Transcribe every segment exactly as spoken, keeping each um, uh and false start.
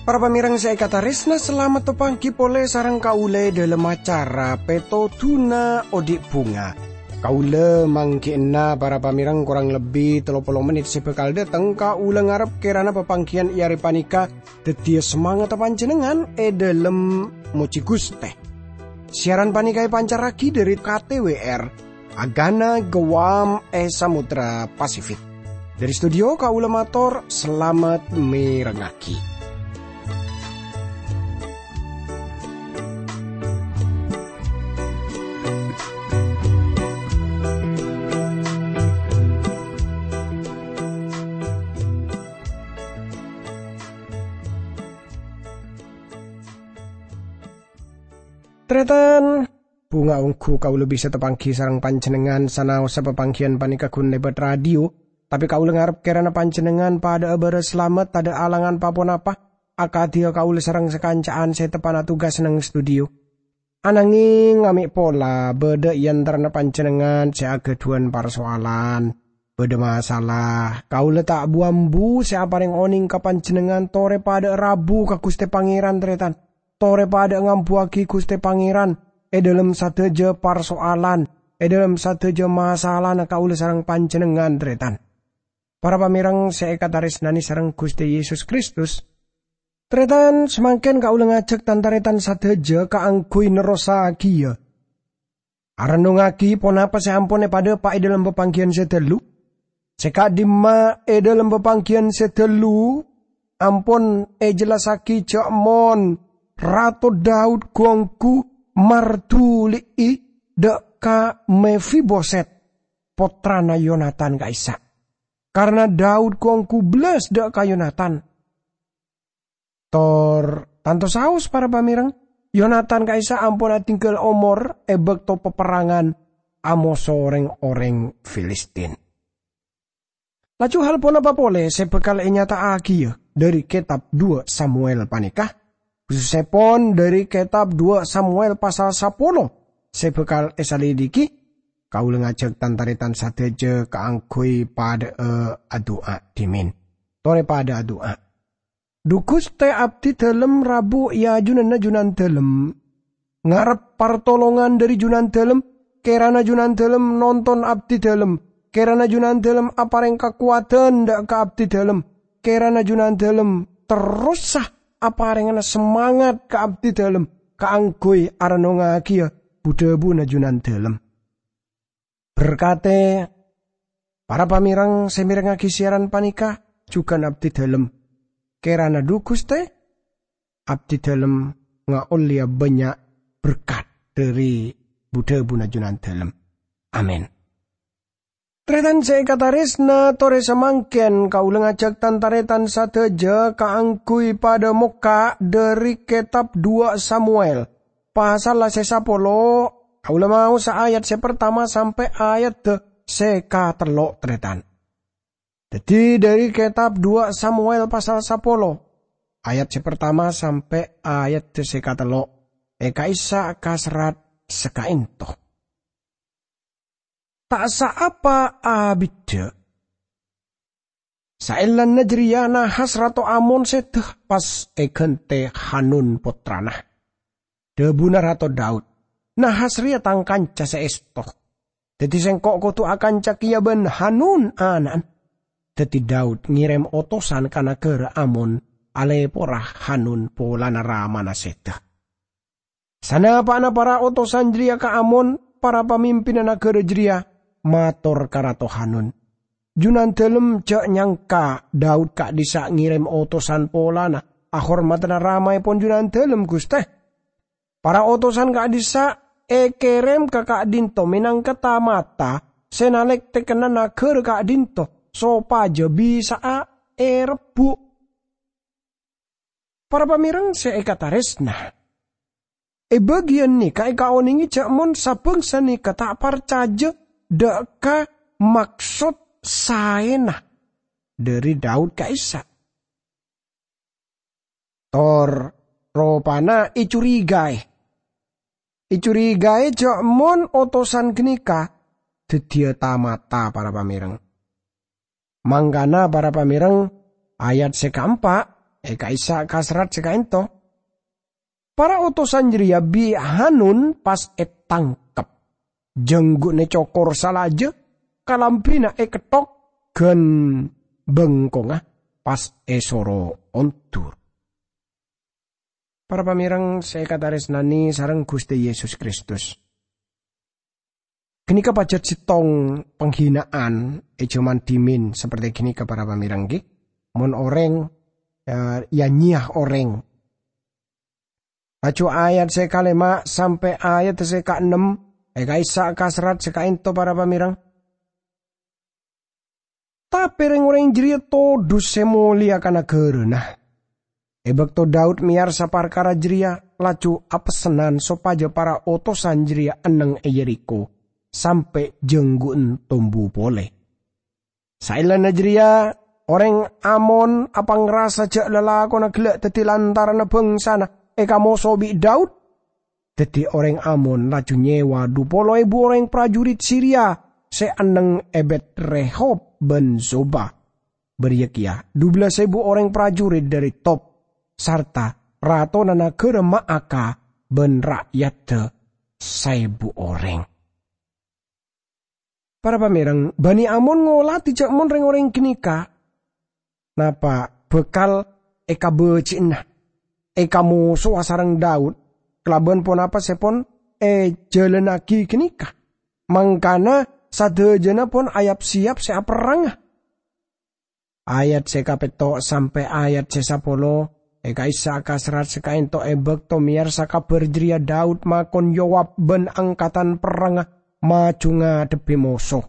Para pamèrèng sè èkatarèsna, salamet tapangghi polè sareng kaulâ è dhâlem acara Pètodhuna Odi' Bhunga. Kaulâ mangghi'na para pamèrèng korang lebbi tello polo mennit sè bhâkal dâteng. Kaulâ ngarep kèrana papangghiyân è arè panèka dhâddhiyâ samangatta panjhennengngan è dhâlem mojhi Ghustè. Siaran panèka èpancarraghi dhâri K T W R, Agana Guam è Samudra Pasifik. Dhâri studio kaulâ mator salamet mèrengngaghi. Tarètan, bhunga ongghu kaulâ bisa tapangghi sareng panjhennengngan sanaossa papangghiyân panèka ghun lèbât radio, tapè kaulâ ngarep kèrana panjhennengngan padâ'â bârâs salamet, tadâ' alangan pa-ponapa, akadhiyâ kaulâ sareng sakanca'an sè teppa'na tugas neng studio. Ananghing, mè' pola bâdâ è antarana panjhennengngan sè aghâdhuwân parsoalan, bâdâ masalah. Kaulâ ta' bu-ambu sè aparèng onèng ka panjhennengngan torè padâ'â rabu ka Ghustè Pangèran, tarètan. Torè padâ'â ngambuwâghi Ghustè Pangèran è dhâlem sadhâjâ parsoalan, è dhâlem sadhâjâ masalana kaulâ sareng panjhennengngan, tarètan. Para pamèrèng sè èkatarèsnanè sareng Ghustè Yesus Kristus, tarètan, samangkèn kaulâ ngajhâk tan-tarètan sadhâjâ kaangghuy nerrossaghiyâ arennongngaghi ponapa sè ampon èpadâpa' è dhâlem papangghiyân sè dhâllu. Sè ka'dimma è dhâlem papangghiyân sè dhâllu ampon èjellassaghi jhâ' mon Rato Daud gu-ongghu marduli'i dâ' ka Mefiboset, pottrana Yonatan ka'issa'. Karna Daud gu-ongghu bellas dâ' ka Yonatan. Tor tanto saos, para pamèrèng, Yonatan ka'issa' ampon adhingghâl omor è bâkto paperrangan amoso rèng-orèng Filistin. Laju hal ponapa polè sè bhâkal ènyata'aghiyâ dhâri kètab duwâ' Samuel panèka, khusussèpon dhâri kètab duwâ' Samuel pasal sapolo sè bhâkal èsalidiki? Kaulâ ngajhâk tan-tarètan sadhâjâ kaangghuy padâ'â adu'a dhimèn. Torè padâ'â adu'a. Dhu Ghustè, abdhi dhâlem rabu è ajunanna Junandhâlem. Ngarep partolongan dhâri Junandhâlem, kèrana Junandhâlem nonton abdhi dhâlem, kèrana Junandhâlem aparèng kakowadhân dâ' ka abdhi dhâlem, kèrana Junandhâlem terrosa aparèngana samangat ka abdhi dhâlem kaangghuy arennongngagiyâ bu-dhâbuna Junandhâlem. Berkatè para pamèrèng sè mèrengngaghi siaran panèka jhughân abdhi dhâlem. Kèrana dhu Ghustè, abdhi dhâlem ngaollèya bânnya' berkat dhâri bu-dhâbuna Junandhâlem. Amin. Tarètan sè èkatarèsna, torè samangkèn kaulâ ngajhâk tan-tarètan sadhâjâ kaangghuy padâ mokka' dhâri kètab duwâ' Samuel. Pasalla sè sapolo, kaulâ maosa ayat sè partama sampè' ayadda sè katello', tarètan. Dhâddhi, dhâri kètab duwâ' Samuel pasal sapolo, ayat sè partama sampè' ayadda sè katello', è ka'issa' kaserrat sakaènto. Ta' saapa abiddhâ. Saellana jârèya Nahas Rato Amon sèdhâ pas èghântè Hanun pottrana. Dhâbuna Rato Daud, "Nahas rèya tang kanca sè èsto. Dhâddhi sèngko' kodhu akanca kèya bân Hanun ana'na." Dhâddhi Daud ngèrèm otosan ka naghârâ Amon alèpora Hanun polana ramana sèdhâ. Sanapa'na para otosan jârèya ka Amon, para pamimpinna naghârâ jârèya mator ka Rato Hanun, "Junandhâlem jhâ' nyangka Daud ka'dhissa' ngèrèm otosan polana ahormadhâna ramaèpon Junandhâlem, Ghustè. Para otosan ka'dhissa' èkèrèm ka ka'dhinto mènangka ta-mata sè nalèktèkana naghârâ ka'dhinto, sopajâ bisa'a èrebbhu'." Para pamèrèng sè èkatarèsna, è bâgiyân nèka èkaonèngè jhâ' mon sabhângsa nèka ta' parcajâ dâ' ka maksod saèna dhâri Daud ka'issa'. Tor Ropana ècurigaè. Ècurigaè ja' mon otosan ghânèka dhâddhiyâ ta-mata, para pamèreng. Mangkana, para pamèreng, ayat sè kaempa' è ka'issa' ka serrat sè ka'ento. Para otosan jârèya bi' Hanun pas ètangkep. Jhânggu'na ècokor salajâ, kalambhina èketthok, ghân bengkongnga pas èsoro ondur. Para pamèreng sè èkatarèsnanè sareng Ghustè Yesus Kristus. Ghânèka pajhât sèttong panghina'an è jhâman dhimèn saperti ghânèka, para pamèreng, ghi. Mon orèng, eh, ya-nyèya orèng. Laju ayat sè kalèma' sampè' ayat sè kaennem è ka'issa' ka serrat sè ka'ento, para pamèreng. Tapè rèng-orèng jârèya todus sè molèya ka naghârâna. È bâkto Daud mèyarsa parkara jârèya, laju apessennan sopajâ para otosan jârèya enneng è Yerikho, sampè' jhânggu'en tombu polè. Saellana jârèya, orèng Amon apangrasa jâ' lalakonna ghellâ' dhâddhi lantaranna bhângsana èkamoso bi' Daud. Dhâddhi orèng Amon laju nyèwa dhu polo èbu orèng prajurit Siria sè enneng è Bet-Rehob bân Zoba. Bâriyâ kèya dhu bellâs èbu orèng prajurit dhâri Tob, sarta ratona naghârâ Maaka bân ra'yadda saèbu orèng. Para pamèreng, Bani Amon ngolatè jâ' mon rèng-orèng ghânèka napa bhâkal èkabâji'na, èkamosowa sareng Daud kalabân ponapa sè pon èjhâlânnaghi ghânèka. Mangkana sadhâjâna pon ayap-sèyap sè aperranga. Ayat sè kapètto' sampè' ayat sè sapolo, è ka'issa' ka serrat sè ka'ento è bâkto mèyarsa kabhâr jârèya Daud makon Yoab bân angkatan perrangnga maju ngadhebbhi moso.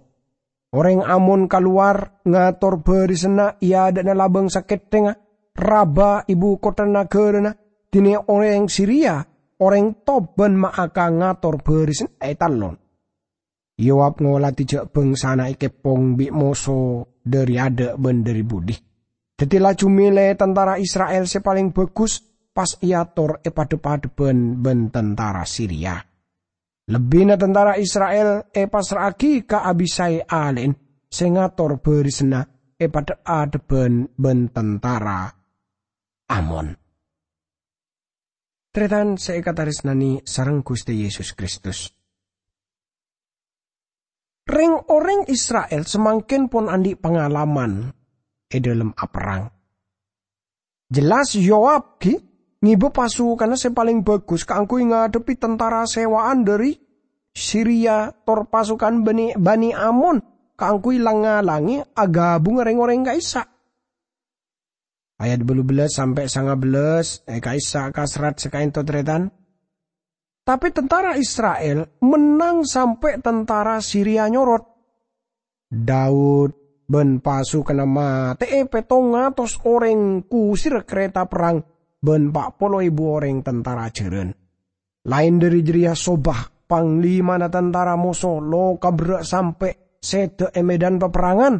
Orèng Amon kalowar ngator bhârisanna è adâ'na labâng sakèthèngnga Raba, ibu kottha naghârâna, dinè orèng Siria, orèng Tob bân Maaka ngator bhârisanna è tallon. Yoab ngolatè jâ' bhângsana èkèpong bi' moso dhâri adâ' bân dhâri budi. Dhâddhi laju mèlè tantara Isra'il sè palèng bhâghus, pas èator è padhâp-adhâbhân bân tantara Siria. Lebbina tantara Isra'il èpassra'aghi ka Abisai alè'en sè ngator bhârisanna è padhâp-adhâbhân bân tantara Amon. Tarètan sè èkatarèsnanè sareng Ghustè Yesus Kristus. Rèng-orèng Isra'il samangkèn pon andi' pangalaman è dhâlem aperrang. Jelas Yoab ghi ngèbâ pasukanna sè palèng bhâghus kaangghuy ngadhebbhi tantara sèwa'an dhâri Siria tor pasukan Bani, Bani Amon kaangghuy lang-ngalangè aghâbungnga rèng-orèng ka'issa'. Ayat bâllu bellâs sampè' sanga bellâs è ka'issa' ka serrat sè ka'ento tarètan. Tapè tantara Isra'il mennang sampè' tantara Siria nyorot. Daud bân pasukanna matè'è pèttong atos orèng, kusirra karèta perrang bân pa' polo èbu orèng tantara jhârân. Laèn dhâri jârèya Sobah, panglimana tantara moso, lo' kaberrâ' sampè' sèdhâ è medan paperrangan.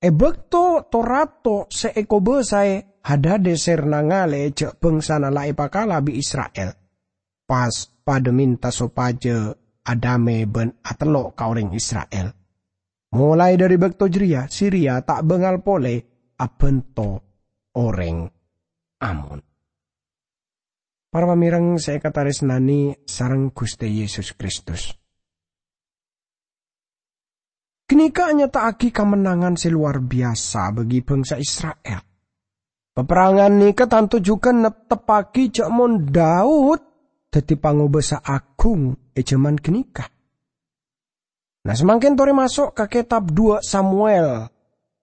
È bâkto to-rato sè èkobâsaè Hadadeser nangalè jâ' bhângsana la èpakala bi' Isra'il, pas padâ mènta sopajâ adamè bân atello' ka orèng Isra'il. Molaè dhâri bâkto jârèya, Siria ta' bângal polè abhânto orèng Amon. Para pamèreng sè èkatarèsnanè sareng Ghustè Yesus Kristus. Ghânèka anyata'aghi kamennangan sè lowar biyasa bagi bhângsa Isra'il. Paperrangan nèka tanto jhughân nepteppaghi jâ' mon Daud dhâddhi pangobâsa aghung è jhâman ghânèka. Nah, samangkèn torè maso' ka kètab Dua Samuel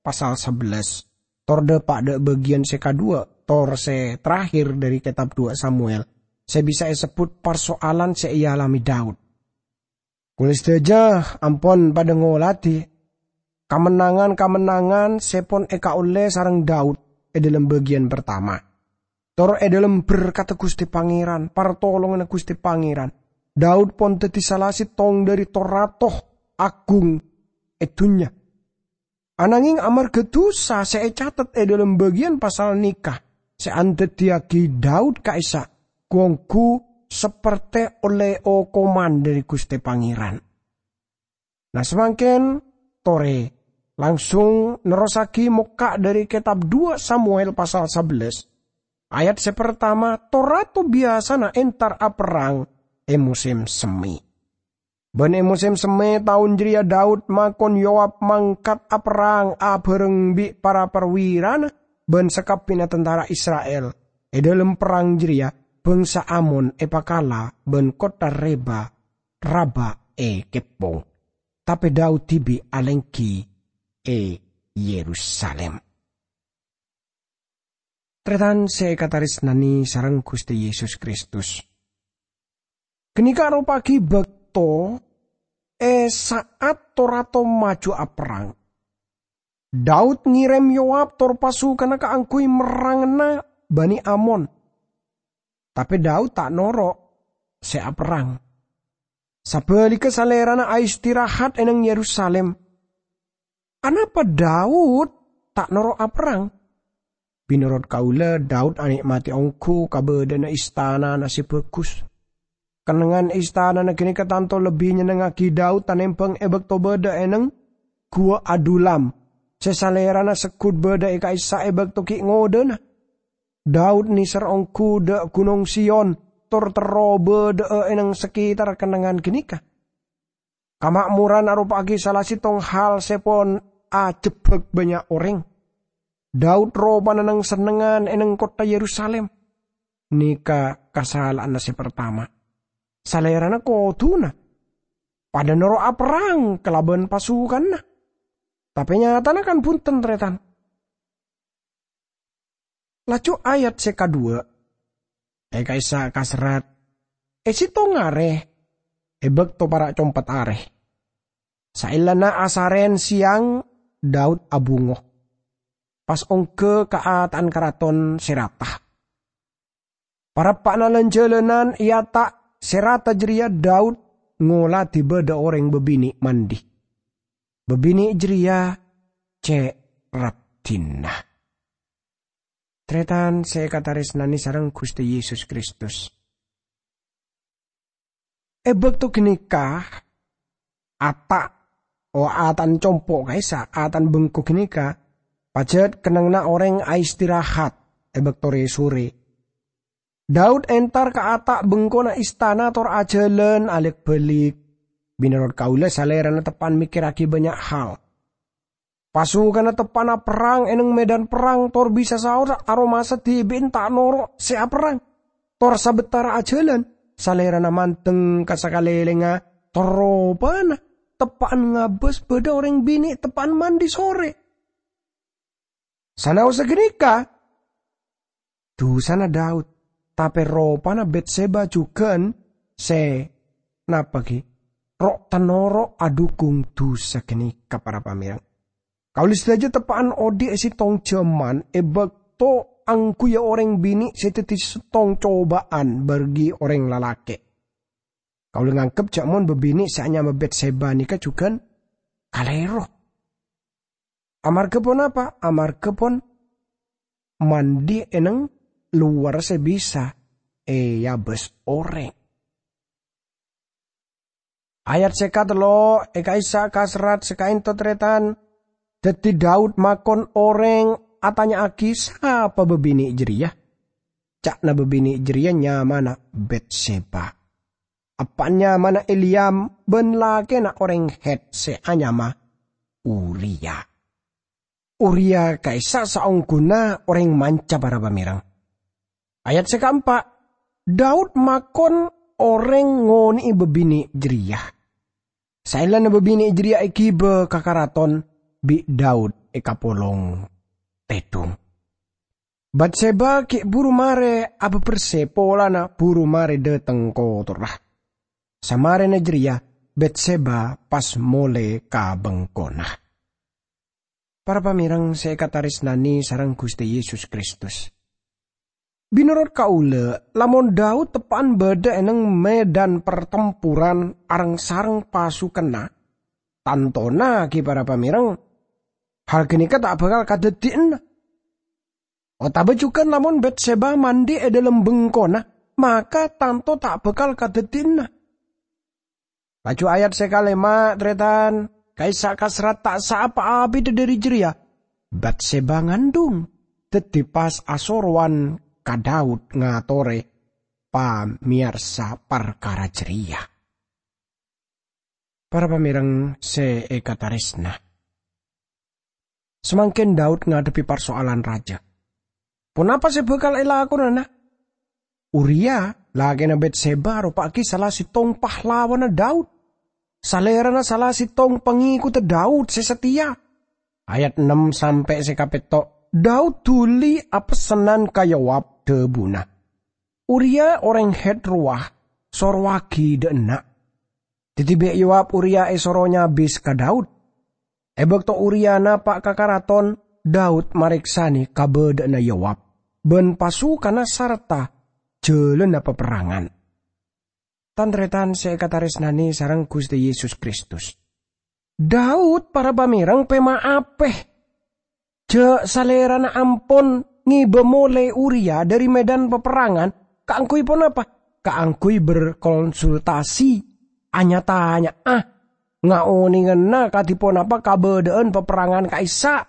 pasal sabellâs. Tor dâpa' dâ' bâgiyân sè kadhuwâ', tor sè terakhir dhâri kètab Dua Samuel, sè bisa èsebbhut parsoalan sè èalamè Daud. Kaulâ sadhâjâ ampon padâ ngolatè kamennangan-kamennangan sè pon èkaollè sareng Daud è dhâlem bâgiyân partama. Tor è dhâlem berkatta Ghustè Pangèran, partolonganna Ghustè Pangèran, Daud pon dhâddhi sala sèttong dhâri to-rato aghung è dhunnya. Ananghing amarghâ dhusa sè ècatet è dhâlem bâgiyân pasal nèka, sè andaddiyâghi Daud ka'issa' ghu-ongghu saperte ollè okoman dhâri Ghustè Pangèran. Nah, samangkèn torè langsung nerrossaghi mokka' dhâri kètab dua Samuel pasal sabellâs, ayat sè partama, to-rato biyasana entar aperrang è mosèm semmè. Bân è mosèm semmè taon jârèya Daud makon Yoab mangkat aperrang abhâreng bi' para parwirana bân sakabbhiyânna tantara Isra'il. È dhâlem perrang jârèya, bhângsa Amon èpakala bân kottha Reba, Raba èkeppong. Tapè Daud dhibi' alèngghi è Yerusalim. Tarètan sè èkatarèsnanè sareng Ghustè Yesus Kristus. Ghânèka aropa'aghi bâkto è sa'at to-rato maju aperrang. Daud ngèrèm Yoab tor pasukanna kaangghuy merrangnga Bani Amon. Tapè Daud ta' noro' sè aperrang. Sabhâligghâ, salèrana aistirahat è nèng Yerusalim. Anapa Daud ta' noro' aperrang? Mènorot kaulâ, Daud anè'matè ongghu kabâdâ'ânna istanana sè bhâghus. Kennengngan istanana ghânèka tanto lebbi nyennengngaghi Daud tanèmbhâng è bâkto bâdâ è nèng Ghuwâ Adulam, sè salèrana segghut bâdâ è ka'issa' è bâkto ghi' ngodâna. Daud nèser ongghu dâ' Ghunong Sion, tor terro bâdâ'â è nèng sakètarra kennengngan ghânèka. Kama'moran aropa'aghi sala sèttong hal sè pon ajhebbhâk bânnya' orèng. Daud ropana nèng-sennengngan è nèng kottha Yerusalim. Nèka kasala'anna sè partama. Salèrana kodhuna padâ noro' aperrang kalabân pasukanna. Tapè nyatana kan bhunten, tarètan. Laju ayat sè kaduwâ', è ka'issa' kaserrat, è sèttong arè, è bâkto para' compet arè. Saellana asarèn sèyang, Daud abungo. Pas ongghâ ka ata'an karaton sè rata. Parappa'na lan-jhâlânan è ata' sè rata jârèya Daud ngoladhi bâdâ orèng bâbinè' mandi. Bâbinè' jârèya cè' raddhinna. Tarètan sè èkatarèsnanè sareng Ghustè Yesus Kristus. È bâkto ghânèka, ata', o, ata'an compo' ka'issa', ata'an bengko ghânèka, pajhât kennengnganna orèng aistirahat è bâkto rè-sorè. Daud entar ka ata' bengkona istana tor ajhâlân alèk-bâlik. Mènorot kaulâ, salèrana teppa'an mèkkèrraghi bânnya' hal. Pasukanna teppa'na perrang è nèng medan perrang tor bisa saos aromasa dhibi'na ta' noro' sè aperrang. Tor sabâtara ajhâlân, salèrana mandeng ka sakalèlèngnga, tor ropana teppa'an ngabâs bâdâ orèng binè' teppa'an mandi sorè. Sanaossa ghânèka, dusana Daud, tapè ropana Betseba jhughân sè napa ghi' ro'-tanoro' adhukung dusa ghânèka, para pamèreng. Kaulâ sadhâjâ teppa'an odi' è sèttong jhâman è bâkto angghuya orèng binè' sè dhâddhi sèttong cobâ'ân bagi orèng lalakè'. Kaulâ nganggep jhâ' mon bâbinè' sè anyama Betseba nèka jhughân kalèro. Amarghâ ponapa? Amarghâ pon mandi è nèng lowar sè bisa èabâs orèng. Ayat sè katello' è ka'issa' kaserrat sè ka'ento tarètan, dhâddhi Daud makon orèng atanya'aghi sapa bâbinè' jârèya. Ca'na bâbinè' jârèya nyamana Betseba. Eppa'na nyamana Eliam bân lakèna orèng Het sè anyama Uria. Uria ka'issa' saongghuna orèng manca, para pamèreng. Ayat sè kaempa', Daud makon orèng ngonè'è bâbinè' jârèya. Saellana bâbinè' jârèya èghibâ ka karaton, bi' Daud èkapolong tèdhung. Batseba ghi' buru marè abâbersè polana buru marè dhâteng kotorra. Samarèna jârèya, Batseba pas molè ka bengkona. Para pamèreng sè èkatarèsnanè sareng Ghustè Yesus Kristus. Mènorot kaulâ, lamon Daud teppa'an bâdâ è nèng medan partemporan areng-sareng pasukanna, tantona ghi' para pamèreng, hal ghânèka ta' bhâkal kadhâddhiyânna. Otaba jugan lamon Batseba mandhi' è dhâlem bengkona, maka tanto ta' bhâkal kadhâddhiyâna. Laju ayat sè kalèma', tarètan, ka'issa' kaserrat ta' saapa abidhâ dhâri jârèya, Batseba ngandhung, dhâddhi pas asorowan ka Daud ngatorè pamèyarsa parkara jârèya. Para pamèreng sè èkatarèsna, samangkèn Daud ngadhebbhi parsoalan rajâ. Ponapa sè bhâkal èlakonana? Uria, lakèna Batseba, aropa'aghi sala sèttong pahlawanna Daud. Salèrana sala sèttong pangèkodhâ Daud sè satèya. Ayat ennem sampè' sè kapètto', Daud dhuli apessennan ka Yoab, dhâbuna, "Uria orèng Het rowa sorowaghi dhâ' enna'." Dhâddhi bi' Yoab Uria èsoro nyabis ka Daud. È bâkto Uria napa' ka karaton, Daud marèksanè kabâdâ'ânna Yoab bân pasukanna sarta jhâlânna paperrangan. Tan-tarètan sè èkatarèsnanè sareng Ghustè Yesus Kristus, Daud, para pamèreng, pèma' apè jhâ' salèrana ampon ngèbâ molè Uria dhâri medan paperrangan. Kaangghuy ponapa? Kaangghuy berkonsultasi, nya-tanya'a, ngaonèngana kadhi ponapa kabâdâ'ân paperrangan ka'issa'.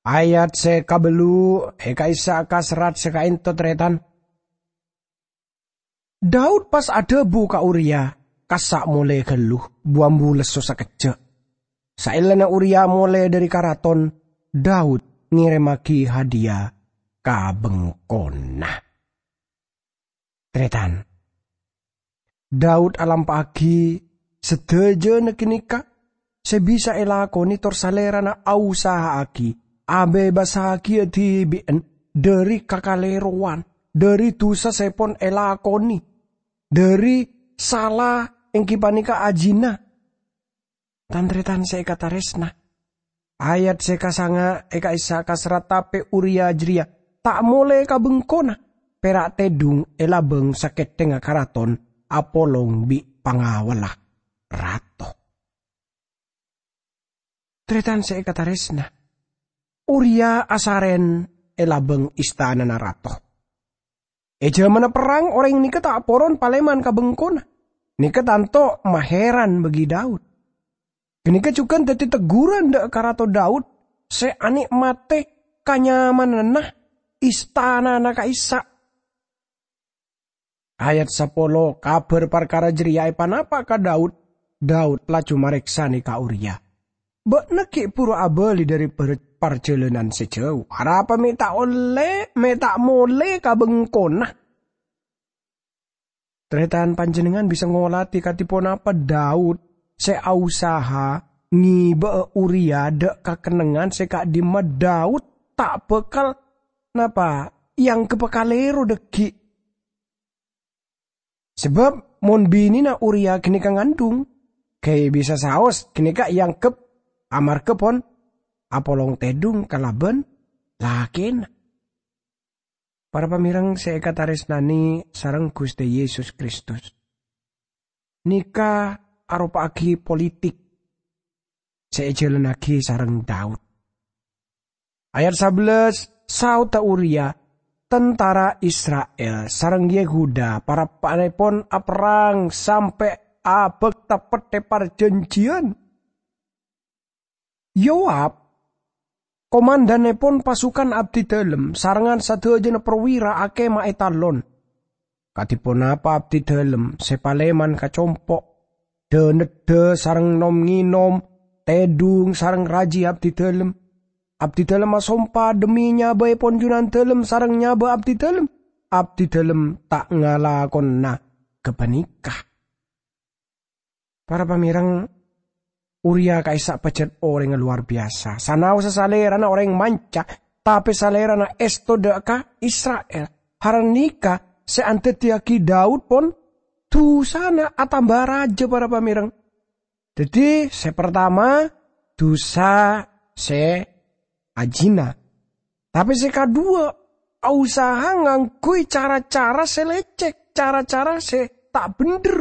Ayat sè kabellu' è ka'issa' kaserrat sè ka'ènto, tarètan. Daud pas adhâbu ka Uria, "Kassa' molè ghâllu, bu-ambu lesso sakejjhâ'." Saellana Uria molè dhâri karaton, Daud ngèrèmmaghi hadiya ka bengkona. Tarètan, Daud alampa'aghi sadhâjâna ghânèka sè bisa èlakonè tor salèrana ausaha'aghi abebassaghiyâ dhibi'en dhâri kakalèrowan, dhâri dhusa sè pon èlakonè, dhâri sala èngghi panèka ajina. Tan-tarètan sè èkatarèsna, ayat sè kasanga' è ka'issa' kaserrat, tapè Uria jârèya ta' molè ka bengkona, pèra' tèdhung è labâng sakèthèngnga karaton apolong bi' pangawalla rato. Tarètan sè èkatarèsna, Uria asarèn è labâng istanana rato. È jhâmanna perrang, orèng nèka ta' poron palèman ka bengkona. Nèka tanto mahèran bagi Daud. Ghânèka jhughân dhâddhi tegghuran dhâ' ka Rato Daud sè anè'matè kanyamananna istanana ka'issa'. Ayat sapolo, kabhâr parkara jârèya èpanapa' ka Daud, Daud laju marèksanè ka Uria, "Bâ'na ghi' buru abâli dhâri par-, parjhâlânan sè jhâu. Arapa mè' ta' ollè, mè' ta' molè ka bengkona?" Tarètan, panjhennengngan bisa ngolatè kadhi ponapa Daud sè ausaha ngèbâ'â Uria dhâ' ka kennengngan sè ka'dimma Daud ta' bhâkal, napa, èangghep kalèro dhâggi'. Sabâb mon binèna Uria ghânèka ngandhung, ghâi' bisa saos ghânèka èangghep amarghâ pon apolong tèdhung kalabân lakèna. Para pamèreng sè èkatarèsnanè sareng Ghustè Yesus Kristus, nèka aropa'aghi politik sè èjhâlânnaghi sareng Daud. Ayat sabellâs, saodhâ Uria, "Tantara Isra'il sareng Yehuda parappa'èpon aperrang sampè' abâkta Pettè Parjhânjhiyân. Yoab, komandannèpon pasukan abdidhâlem, sarengngan sadhâjâna perwira akèma è talon. Kadhi ponapa abdidhâlem sè palèman ka compo', dhâ-neddhâ sareng nom-ngènom, tèdhung sareng rajhi abdidhâlem. Abdidhâlem asompa dhemmi nyabâèpon Jhunandhâlem sareng nyabâ abdidhâlem. Abdidhâlem ta' ngalakona ghâpanèka." Para pamèreng, Uria ka'issa' pajhât orèngnga lowar biyasa. Sanaossa salèrana orèng manca, tapè salèrana èsto dhâ' ka Isra'il. Harènèka sè andhâddhiyâghi Daud pon dhusana atamba rajâ, para pamèreng. Dhâddhi, sè partama, dhusa sè ajina. Tapè sè kaduwâ, ausaha ngangghuy cara-cara sè lècèk, cara-cara sè ta' bhendher.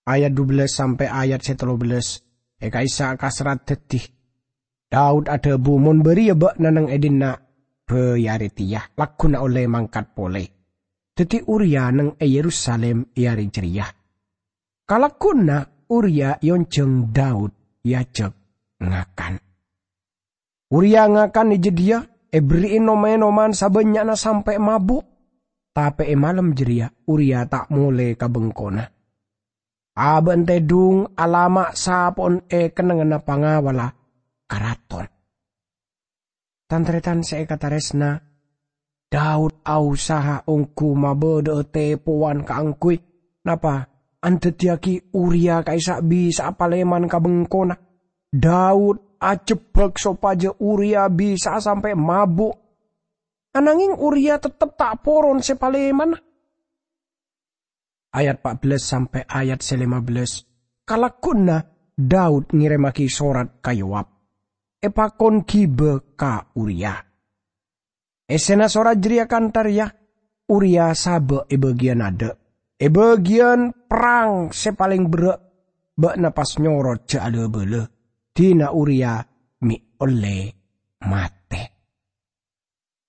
Ayat dubellâs sampè' ayat sè tellubellâs è ka'issa' kaserrat dhâddhi, Daud adhâbu, "Mon bâriyâ bâ'na neng è dinna' bhâi arè tèya, lagghuna ollè mangkat polè." Dhâddhi Uria neng è Yerusalim è arè jârèya. Kalagghuna Uria èonjhâng Daud èajhâk ngakan. Uria ngakan è jâdiyâ, èberri'i nom-ènoman sabânnya'na sampè' mabu'. Tapè è malem jârèya Uria ta' molè ka bengkona. Abâ'na tèdhung alama' sapo'na è kennengnganna pangawalla karaton. Tan-tarètan sè èkatarèsna, Daud aosaha ongghu mabâdâ'â tèpowan kaangghuy, napa, andhâddhiyâghi Uria ka'issa' bisa'a palèman ka bengkona. Daud ajhebbhâk sopajâ Uria bisa'a sampè' mabu'. Ananghing Uria tettep ta' poron sè palèmana. Ayat pa' bellâs sampè' ayat sè lèma bellâs. Kalagghuna Daud ngèrèmmaghi sorat ka Yoab, èpakon ghibâ ka Uria. Èssèna sorat jârèya kantha rèya, "Uria sabâ' è bâgiyân adâ', è bâgiyân perrang sè palèng berrâ', bâ'na pas nyorot jâ' la-bâlâ, dina Uria mè' ollè matè."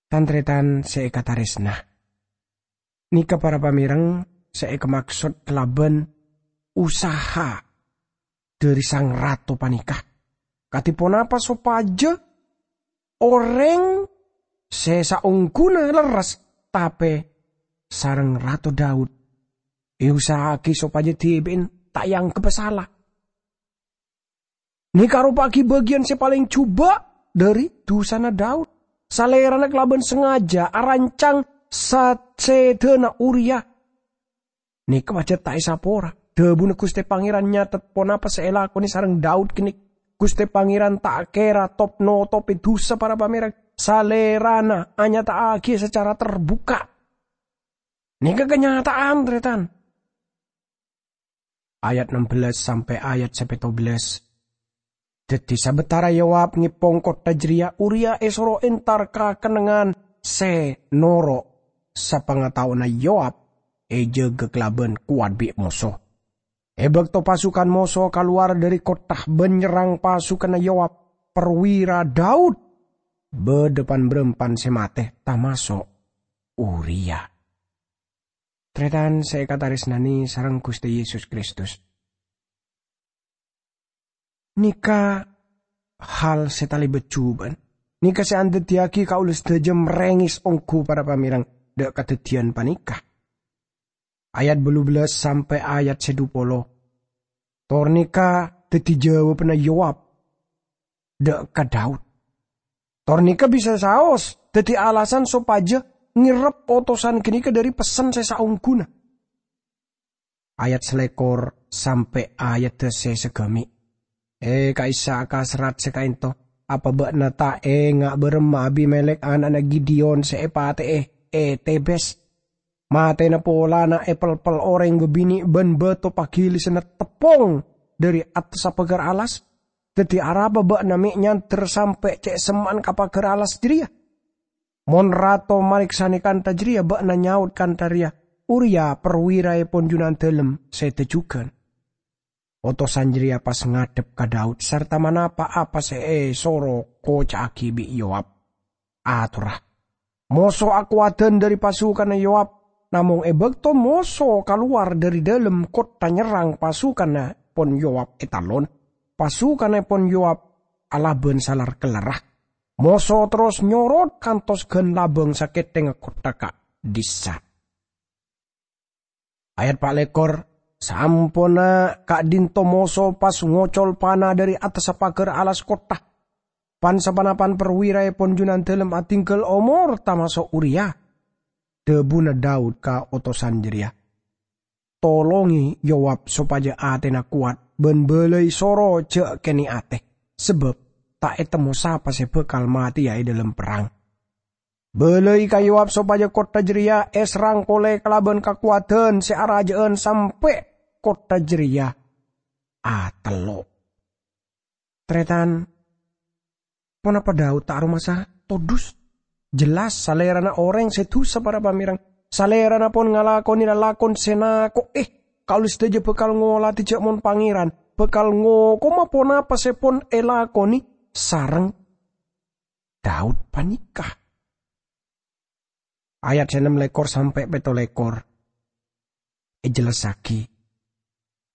Tan-tarètan sè èkatarèsna, nèka para pamèreng sè èkamaksod kalabân usaha dhâri sang rato panèka. Kadhi ponapa sopajâ orèng sè saongghuna lerres, tapè sareng Rato Daud èusaha'aghi sopajâ dhibi'na ta' èangghep sala? Nèka aropa'aghi bâgiyân sè palèng jhubâ' dhâri dhusana Daud. Salèrana kalabân sangajâ arancang sa-, sèdhâna Uria. Nèka pajhât ta' èsapora. Dhâbuna Ghustè Pangèran nyatet ponapa sè èlakonè sareng Daud kènè'. Ghustè Pangèran ta' kèra top-notopè dhusa para pamèreng. Salèrana anyata'aghi sacara terbuka. Nèka kanyata'an, tarètan. Ayat ennem belas sampè' ayat sè pètto belas. Dhâddhi, sabâtara Yoab ngèpong kottha jârèya, Uria èsoro entar ka kennengngan sè noro' sapangataowanna Yoab èjâgâ kalabân kowat bi' moso. È bâkto pasukan moso kalowar dhâri kottha bân nyerrang pasukanna Yoab, perwira Daud bâdâ pan-bârâmpan sè matè, tamaso' Uria. Tarètan sè èkatarèsnanè sareng Ghustè Yesus Kristus. Nèka hal sè talèbât jhubâ'ân. Nèka sè andhâddhiyâghi kaulâ sadhâjâ marèngès ongghu para pamèreng dâ' kadhâddhiyân panèka. Ayat bâllu belas sampè' ayat sè dupolo. Tor nèka dhâddhi jâwâbbhânna Yoab dâ' ka Daud. Tor nèka bisa saos dhâddhi alasan sopajâ ngèrep otosan ghânèka dhâri pessen sè saongghuna. Ayat salèkor sampè' ayadda sè sagâmè'. È, ka'issa' kaserrat sè ka'ènto, apa bâ'na ta' enga' bârâmma Abimelek ana'na Gideon sè èpatè'è è Tebes? Matèna polana èpelpel orèng bâbinè' bân bâto paghilisanna teppong dhâri attassa paghâr alas. Dhâddhi, arapa bâ'na mè' nyandher sampè' cè' semma'an ka paghâr alas jârèya? Mon Rato marèksanè kantha jârèya, bâ'na nyaot kantha rèya, 'Uria, perwiraèpon Junandalem sè dâjhughân.' Otosan jârèya pas ngadhep ka Daud sarta manapa apa sè èsoro koca'aghi bi' Yoab. Atorra, moso akowadhân dhâri pasukanna Yoab, namong è bâkto moso kalowar dhâri dâlem kottha nyerrang pasukanèpon Yoab ètalon, pasukanèpon Yoab alabân salar-kellarra. Moso terros nyorot kantos ghân labâng sakèthèngnga kottha ka'dhissa'. Ayat pa' lèkor, saamponna ka'dhinto moso pas ngocol pana dhâri attassa paghâr alas kottha. Pan-sapanapan perwiraèpon Junandalem adhingghâl omor, tamaso' Uria. Dhâbuna Daud ka otosan jârèya, "Tolongè Yoab sopajâ atèna kowat bân bâlâi soro jâ' kènè' atè, sabâb ta' ètemmo sapa sè bhâkal matèya è dâlem perrang. Bâlâi ka Yoab sopajâ kottha jârèya èserrang polè kalabân kakowadhân sè arajâ'ân sampè' kottha jârèya atello'." Tarètan, ponapa Daud ta' aromasa todus? Jelas, salèrana orèng sè dhusa para pamèreng. Salèrana pon ngalakonè lalakon sè nako'è. Kaulâ sadhâjâ bhâkal ngolatè jâ' mon Pangèran bhâkal ngokoma ponapa sè pon èlakonè sareng Daud panèka. Ayat se ennem lekor sampe' pètto lekor ejellassagi.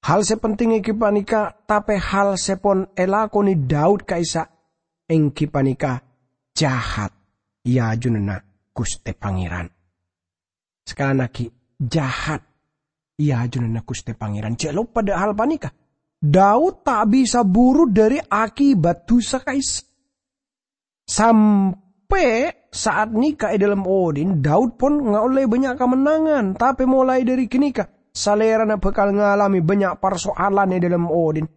Hal se penting enggi panèka, tape hal se pon elakone Daud ka'issa' enggi panèka jahat e ajunanna Guste Pangeran. Sekali lagi, jahat e ajunanna Guste Pangeran. Ja' loppa dha' hal panèka. Daud ta' bisa buru dhari akibat dusa ka'issa'. Sampe' saat nèka e dhalem odhi'na, Daud pon ngaolle bannya' kamennangan. Tape molae dhari ganèka, salerana bakal ngalame bannya' parsoalan e dhalem odhi'na.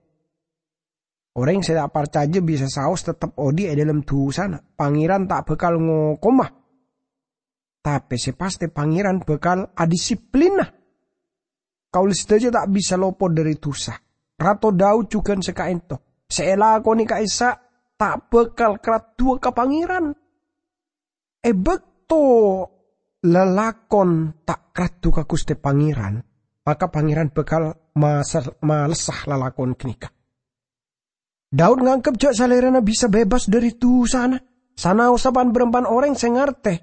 Oreng se ta' parcaja bisa saos tettep odhi' e dhalem dusana. Pangeran ta' bakal ngokoma. Tape se paste Pangeran bakal adisiplina. Kaula sadaja ta' bisa lopot dhari dusa. Rato Daud jugan se kaento. Se elakone ka'issa' ta' bakal karaddhuwa ka Pangeran. E bakto lalakon ta' karaddhu ka Guste Pangeran, maka Pangeran bakal masal-, malessa lalakon ganèka. Daud nganggep ja' salerana bisa bebas dhari dusana, sanaossa pan-barampan oreng se ngarte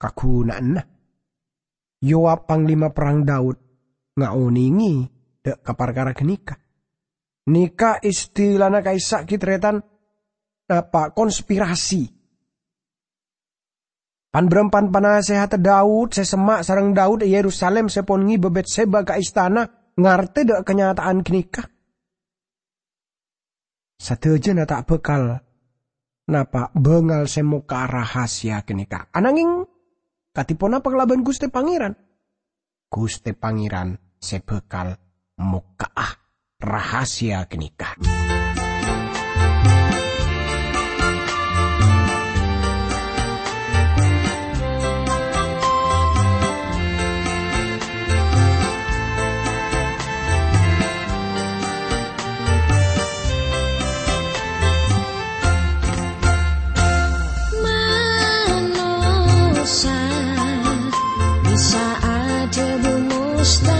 kaguna'anna. Yoab, panglima perrang Daud, ngaonenge dha' ka parkara ganèka. Nèka istilana ka'issa' ghi' tarètan napa konspirasi. Pan-barampan panasehatta Daud se semma' sareng Daud e Yerusalem se pon ngeba Betseba ka istana ngarte dha' kanyata'an ganèka. Sadajana ta' bakal napa bangal se mokka' rahasia ganèka. Anangeng, kadi ponapa kalaban Guste Pangeran? Guste Pangeran se bakal mokka'a rahasia ganèka. Manossa bisa adhâbu mustahil.